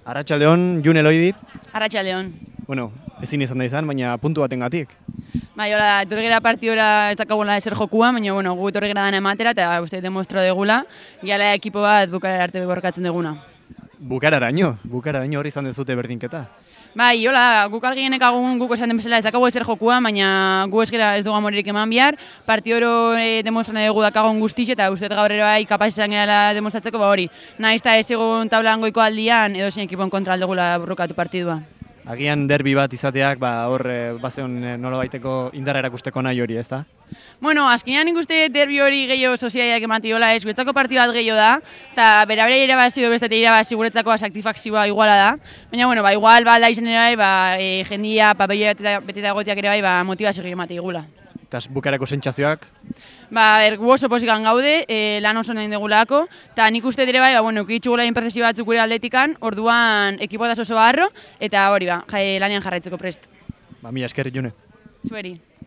Arratsaldeon, June Eloidi. Arratsaldeon. Bueno, ezin izan da izan, baina puntu batengatik. Bai, hola, etorri gara partidora ez dakagula ezer jokua, baina bueno, gu etorri gara dana ematera eta uste demostra degula, gala ekipo bat bukaera arte borrokatzen deguna. Bukararaino hori izan dezute berdinketa. Bai, hola, guk argienek agun guk esan den bezala ez dakago ezer jokua, baina gu eskera ez dugu amoririk eman bihar, partidoro demostrane dugu dakagon guztiz eta uste gaur ere bai kapaz izan gehala demostratzeko hori. Nahiz eta ez egun tablan goiko aldian edo zein ekipon kontra aldegula borrokatu partidua. Agian derbi bat izateak, hor bazeon nolabaiteko indarra erakusteko nahi hori, ez da? Bueno, azkenean nik uste derbi hori gehiago soziaiak ematiola ez, guretzako partidu bat gehiago da, eta bera irabazi edo bestetik irabazi guretzako satisfakzioa iguala da. Baina, bueno, igual da izan ere bai, jendia, papello beteta egotiak ere bai, motivazio gehiago emati igula. Eta bukarako sentsazioak? Gu oso posikan gaude, lan oso nahi degulako, eta nik uste ere bai, ukitxugula inpertzesio batzuk gure aldetikan, orduan ekipotaz oso harro, eta hori lanean jarraitzeko prest. Mila esker, June. Zueri.